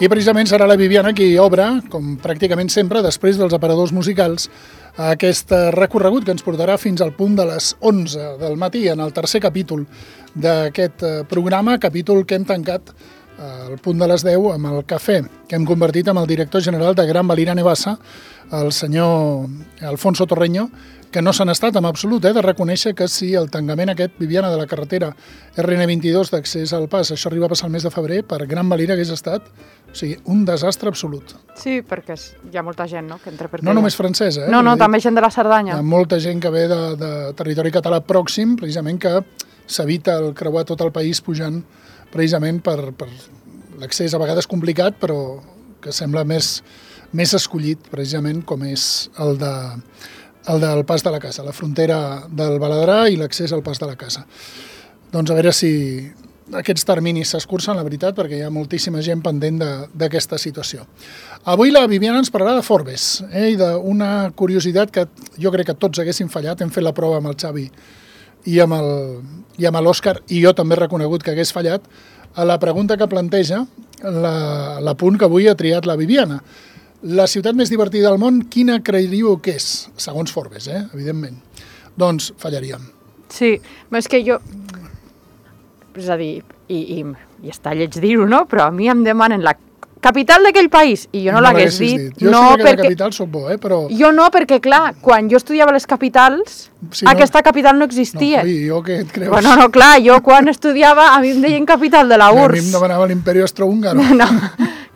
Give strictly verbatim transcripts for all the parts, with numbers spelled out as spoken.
I precisament serà la Viviana qui obre, com pràcticament sempre, després dels aparadors musicals, aquest recorregut que ens portarà fins al punt de les onze del matí, en el tercer capítol d'aquest programa, capítol que hem tancat al punt de les deu amb el cafè, que hem convertit amb el director general de Gran Valira Nevassa, el senyor Alfonso Torreño, que no s'han estat en absolut, eh, de reconèixer que si el tancament aquest, Viviana, de la carretera erre ene vint-i-dos d'accés al pas, això arriba a passar el mes de febrer, per Gran Valira hagués estat, o sigui, un desastre absolut. Sí, perquè hi ha molta gent, no?, que entra per No només francesa, eh? No, no, també gent de la Cerdanya. Hi ha molta gent que ve de, de territori català pròxim, precisament que s'evita el creuar tot el país pujant precisament per, per l'accés a vegades complicat, però que sembla més, més escollit, precisament, com és el de... el del pas de la casa, la frontera del Baladrà i l'accés al pas de la casa. Doncs a veure si aquests terminis s'escurcen, la veritat, perquè hi ha moltíssima gent pendent d'aquesta situació. Avui la Viviana ens parlarà de Forbes, eh, i d'una curiositat que jo crec que tots haguessin fallat. Hem fet la prova amb el Xavi i amb el, i amb l'Òscar, i jo també he reconegut que hagués fallat, a la pregunta que planteja la, la punt que avui ha triat la Viviana. La ciutat més divertida del món, quina creiríeu que és? Segons Forbes, eh? Evidentment. Doncs fallaríem. Sí, però és que jo... És a dir, i, i, i està lleig dir-ho, no? Però a mi em demanen la capital d'aquell país i jo no, no l'hagués dit. dit. Jo no, sé que perquè... la capital soc bo, eh? Però... Jo no, perquè clar, quan jo estudiava les capitals, sí, aquesta no... capital no existia. No, oi, jo què et creus? Bueno, no, clar, jo quan estudiava a mi em deien capital de la U R S S. A mi em demanava l'Imperi Austrohúngaro. No,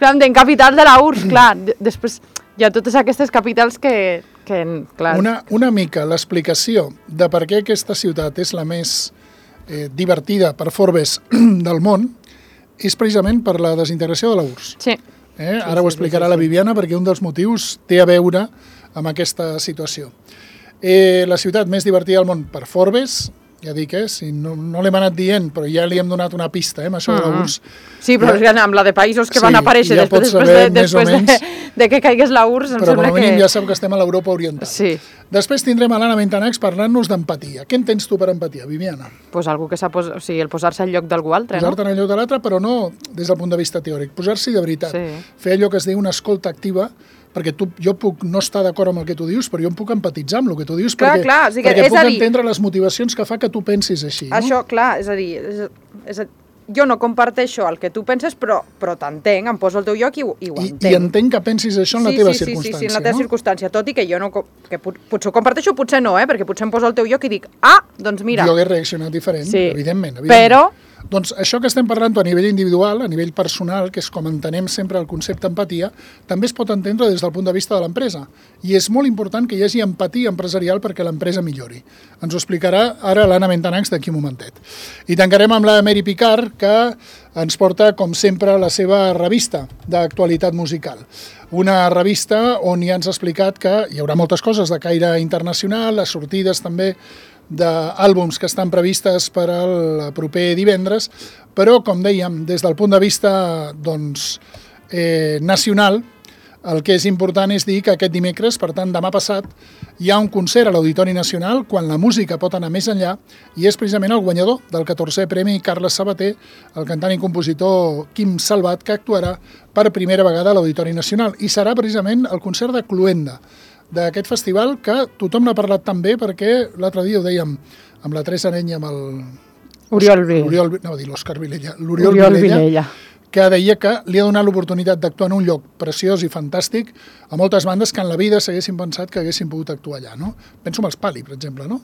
clar, em deien capital de la U R S S, clar. Després hi ha totes aquestes capitals que... que clar. Una, una mica l'explicació de per què aquesta ciutat és la més eh, divertida per Forbes del món és precisament per la desintegració de la U R S S. Sí. Eh? Ara sí, ho sí, explicarà sí, sí. la Viviana, perquè un dels motius té a veure amb aquesta situació. Eh, la ciutat més divertida del món per Forbes, ja dic, eh, si no, no l'hem anat dient, però ja li hem donat una pista, eh, amb això mm -hmm. de la U R S S. Sí, però ja, amb la de països que sí, van aparèixer ja després, després, de, després de, de que caigués la U R S S, em però sembla que... Però com a mínim ja sap que estem a l'Europa Oriental. Sí. Després tindrem a l'Anna Bentanacs parlant-nos d'empatia. Què entens tu per empatia, Viviana? Pues algú que sap, o sigui, el posar-se al lloc d'algú altre, Posar-te no? en el lloc de l'altre, però no des del punt de vista teòric. Posar-s'hi de veritat. Sí. Fer allò que es diu una escolta activa, perquè tu, jo puc no estar d'acord amb el que tu dius, però jo em puc empatitzar amb el que tu dius, clar, perquè, clar, o sigui, perquè és puc a dir, entendre les motivacions que fa que tu pensis així. Això, no? clar, és a dir, és, és a, jo no comparteixo el que tu penses, però, però t'entenc, em poso al teu lloc i, i ho I, entenc. I entenc que pensis això en sí, la teva sí, circumstància, sí, sí, sí, en la teva no? circumstància, tot i que jo no, que pot, potser ho comparteixo, potser no, eh, perquè potser em poso al teu lloc i dic, ah, doncs mira. Jo hagués reaccionat diferent, sí, evidentment, evidentment. Però... Doncs això que estem parlant a nivell individual, a nivell personal, que és com entenem sempre el concepte empatia, també es pot entendre des del punt de vista de l'empresa. I és molt important que hi hagi empatia empresarial perquè l'empresa millori. Ens ho explicarà ara l'Anna Bentanacs d'aquí un momentet. I tancarem amb la Mary Picard, que ens porta, com sempre, la seva revista d'actualitat musical. Una revista on ja ens ha explicat que hi haurà moltes coses de caire internacional, les sortides també d'àlbums que estan previstes per al proper divendres, però, com dèiem, des del punt de vista doncs, eh, nacional, el que és important és dir que aquest dimecres, per tant demà passat, hi ha un concert a l'Auditori Nacional quan la música pot anar més enllà i és precisament el guanyador del catorzè Premi Carles Sabater, el cantant i compositor Quim Salvat, que actuarà per primera vegada a l'Auditori Nacional i serà precisament el concert de Cluenda, d'aquest festival que tothom n'ha parlat tan bé perquè l'altre dia ho dèiem amb la Teresa Areny i amb el... Oriol Vilella. No, va dir l'Òscar Vilella. L'Oriol Vilella, Vilella, que deia que li ha donat l'oportunitat d'actuar en un lloc preciós i fantàstic a moltes bandes que en la vida s'haguessin pensat que haguessin pogut actuar allà, no? Penso en els Pali, per exemple, no?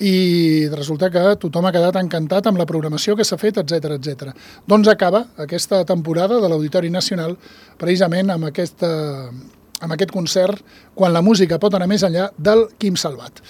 I resulta que tothom ha quedat encantat amb la programació que s'ha fet, etcètera, etcètera. Doncs acaba aquesta temporada de l'Auditori Nacional precisament amb aquesta... amb aquest concert, quan la música pot anar més enllà, del Quim Salvat.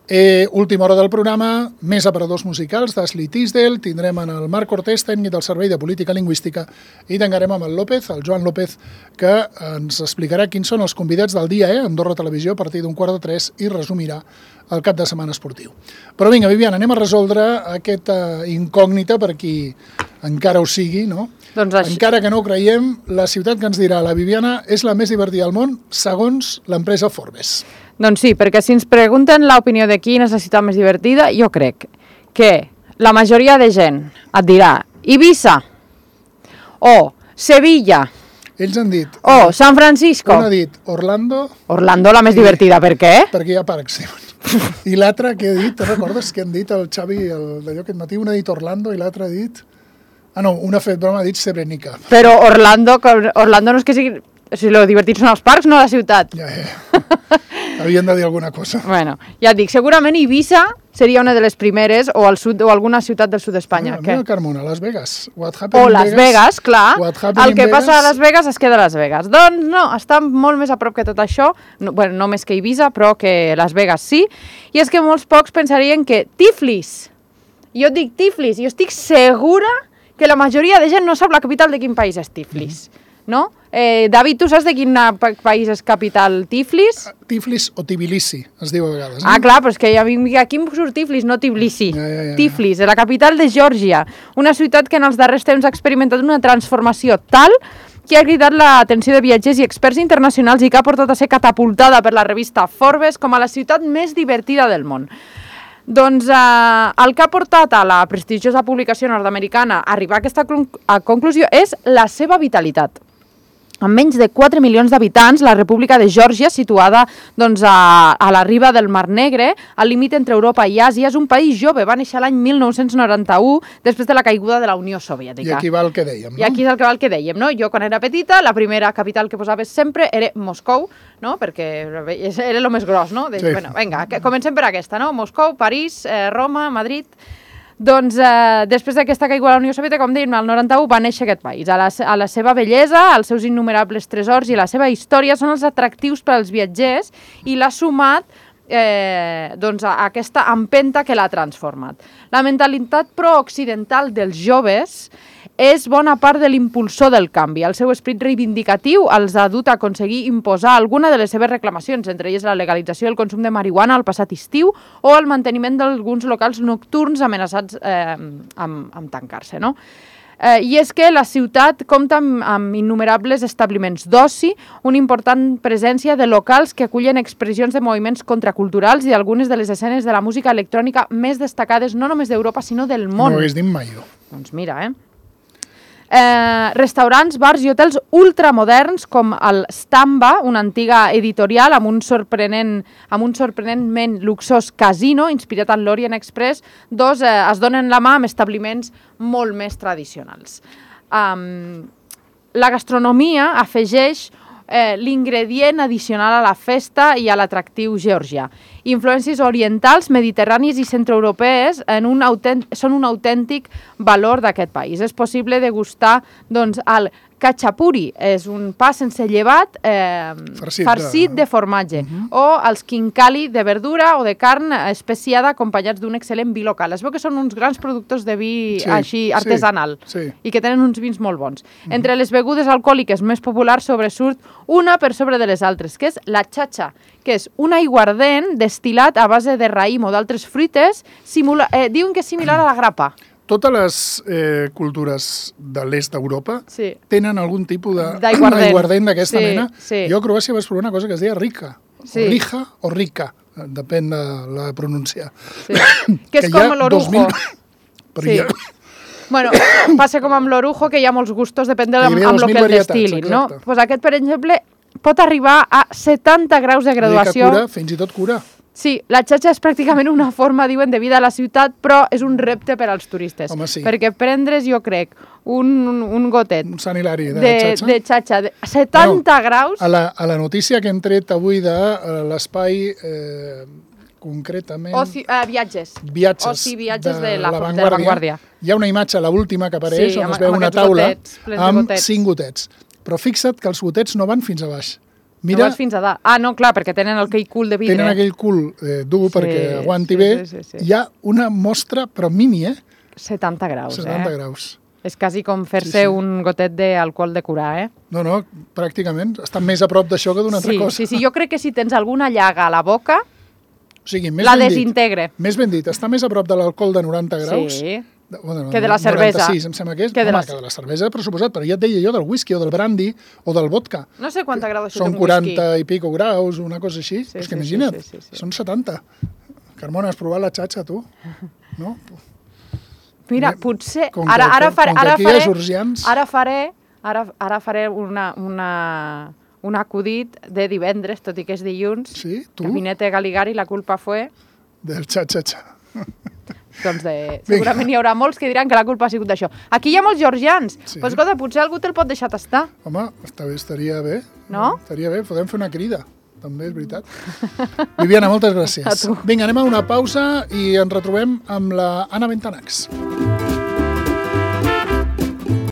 Eh, última hora del programa, més aparadors musicals d'Ashley Tisdale, tindrem en el Marc Cortés, tècnic del Servei de Política Lingüística, i tancarem amb el López, el Joan López, que ens explicarà quins són els convidats del dia, eh, Andorra Televisió, a partir d'un quart de tres, i resumirà el cap de setmana esportiu. Però vinga, Viviana, anem a resoldre aquesta incògnita per qui encara ho sigui, no? Doncs això... Encara que no ho creiem, la ciutat que ens dirà la Viviana és la més divertida del món, segons l'empresa Forbes. Doncs sí, perquè si ens pregunten l'opinió de quina és la ciutat més divertida, jo crec que la majoria de gent et dirà Ibiza o Sevilla Ells han dit... Oh, San Francisco. Un ha dit Orlando... Orlando, la més divertida, per què? Perquè hi ha parcs, diuen. I l'altre que ha dit, te recordes que han dit el Xavi d'allò aquest matí? Un ha dit Orlando i l'altre ha dit... Ah, no, un ha fet broma, ha dit Srebrenica. Però Orlando, Orlando no és que sigui... O sigui, lo divertit són els parcs, no la ciutat. Ja, ja. Havien de dir alguna cosa. Bueno, ja et dic, segurament Ibiza seria una de les primeres, o al sud o alguna ciutat del sud d'Espanya. Mira, mira Carmona, Las Vegas. O Las Vegas, clar. El que passa a Las Vegas es queda a Las Vegas. Doncs no, està molt més a prop que tot això, no, bueno, no més que Ibiza, però que Las Vegas sí. I és que molts pocs pensarien que Tiflis, jo dic Tiflis, i jo estic segura que la majoria de gent no sap la capital de quin país és Tiflis. Mm. No? Eh, David, tu saps de quin país és capital Tiflis? Tiflis o Tbilisi, es diu a vegades. Ah, clar, però és que aquí em surt Tiflis, no Tbilisi. Ja, ja, ja. Tiflis, la capital de Geòrgia, una ciutat que en els darrers temps ha experimentat una transformació tal que ha cridat l'atenció de viatgers i experts internacionals i que ha portat a ser catapultada per la revista Forbes com a la ciutat més divertida del món. Doncs eh, el que ha portat a la prestigiosa publicació nord-americana a arribar a aquesta conclusió és la seva vitalitat. Amb menys de quatre milions d'habitants, la República de Geòrgia, situada doncs, a, a la riba del Mar Negre, al límit entre Europa i Àsia, és un país jove, va néixer l'any mil nou-cents noranta-u, després de la caiguda de la Unió Soviètica. I aquí va el que dèiem, no? I aquí és el que va el que dèiem, no? Jo, quan era petita, la primera capital que posaves sempre era Moscou, no? Perquè era el més gros, no? De, sí. Bueno, vinga, comencem per aquesta, no? Moscou, París, eh, Roma, Madrid... Doncs eh, després d'aquesta caiguda de la Unió Soviètica, com dèiem, el noranta-u va néixer aquest país. A la, a la seva bellesa, els seus innumerables tresors i la seva història són els atractius per als viatgers i l'ha sumat eh, doncs, a aquesta empenta que l'ha transformat. La mentalitat pro-occidental dels joves és bona part de l'impulsor del canvi. El seu esperit reivindicatiu els ha dut a aconseguir imposar alguna de les seves reclamacions, entre elles la legalització del consum de marihuana al passat estiu o el manteniment d'alguns locals nocturns amenaçats eh, amb, amb tancar-se, no? Eh, I és que la ciutat compta amb, amb innumerables establiments d'oci, una important presència de locals que acullen expressions de moviments contraculturals i algunes de les escenes de la música electrònica més destacades no només d'Europa, sinó del món. No ho hagués dit mai jo. Doncs mira, eh? Eh, restaurants, bars i hotels ultramoderns com el Stamba, una antiga editorial amb un sorprenent, amb un sorprenentment luxós casino inspirat en l'Orient Express, dos eh, es donen la mà amb establiments molt més tradicionals. Um, la gastronomia afegeix eh, l'ingredient addicional a la festa i a l'atractiu georgià. Influències orientals, mediterrànies i centroeuropees en un són un autèntic valor d'aquest país. És possible degustar doncs, el khachapuri, és un pa sense llevat eh, farcit, farcit de... de formatge, uh-huh. o els khinkali de verdura o de carn especiada acompanyats d'un excel·lent vi local. Es veu que són uns grans productors de vi sí, així artesanal sí, sí. i que tenen uns vins molt bons. Uh-huh. Entre les begudes alcohòliques més populars sobresurt una per sobre de les altres, que és la chacha, que és un aiguardent destil·lat a base de raïm o d'altres fruites, simula... eh, diuen que és similar a la grapa. Totes les eh, cultures de l'est d'Europa sí. tenen algun tipus d'aiguardent d'aquesta sí, mena. Sí. Jo a Croàcia vaig provar una cosa que es deia rica, sí. o rija o rica, depèn de la pronunciació. Sí. que, que és com l'orujo. mil... Però sí. ja... Bueno, passa com amb l'orujo, que hi ha molts gustos, depèn de amb, amb el que el destil·lin. No? Pues aquest, per exemple, pot arribar a setanta graus de graduació. Cura, fins i tot cura. Sí, la xatxa és pràcticament una forma, diuen, de vida a la ciutat, però és un repte per als turistes. Home, sí. Perquè prendre's, jo crec, un, un, un gotet un Sant Hilari de, de xatxa, de xatxa de setanta no, graus... A la, a la notícia que hem tret avui de uh, l'espai, eh, concretament... Oci, uh, viatges. Viatges. Oci, viatges de, de la, la de la Vanguardia. Hi ha una imatge, l'última que apareix, sí, on amb, es veu amb una taula gotets, amb gotets. cinc gotets. Però fixa't que els gotets no van fins a baix. Mira, no vas fins a dalt. Ah, no, clar, perquè tenen aquell cul de vidre. Tenen aquell cul eh, dur sí, perquè aguanti sí, bé. Sí, sí, sí. Hi ha una mostra, però mini, eh? setanta graus, setanta eh? graus. És quasi com fer-se sí, sí. un gotet d'alcohol de curar, eh? No, no, pràcticament. Estan més a prop d'això que d'una sí, altra cosa. Sí, sí, jo crec que si tens alguna llaga a la boca, o sigui, més la ben desintegre. Dit, més ben dit, està més a prop de l'alcohol de noranta graus... Sí. Bueno, que de la cervesa. noranta-sis, em sembla que és. Que de Home, la... que de la cervesa, per suposat, però ja et deia jo del whisky o del brandy o del vodka. No sé quanta graduació són té un whisky. quaranta i pico graus, una cosa així. Sí, és que sí, imagina't, sí, sí, sí, sí. són setanta. Carmona, has provat la xatxa, tu? No? Mira, potser... Com ara, ara, faré, com ara, faré, faré, georgians... ara faré Ara, ara faré una, una, un acudit de divendres, tot i que és dilluns. Sí? Tu? Gabinete Galigari, la culpa fue... Del xa-xa-xa. Doncs de... segurament hi haurà molts que diran que la culpa ha sigut d'això. Aquí hi ha molts georgians. Sí. Pues, escolta, potser algú te'l pot deixar tastar. Home, està bé, estaria bé. No? Estaria bé, podem fer una crida. També és veritat. Viviana, moltes gràcies. Vinga, anem a una pausa i ens retrobem amb la Anna Bentanax.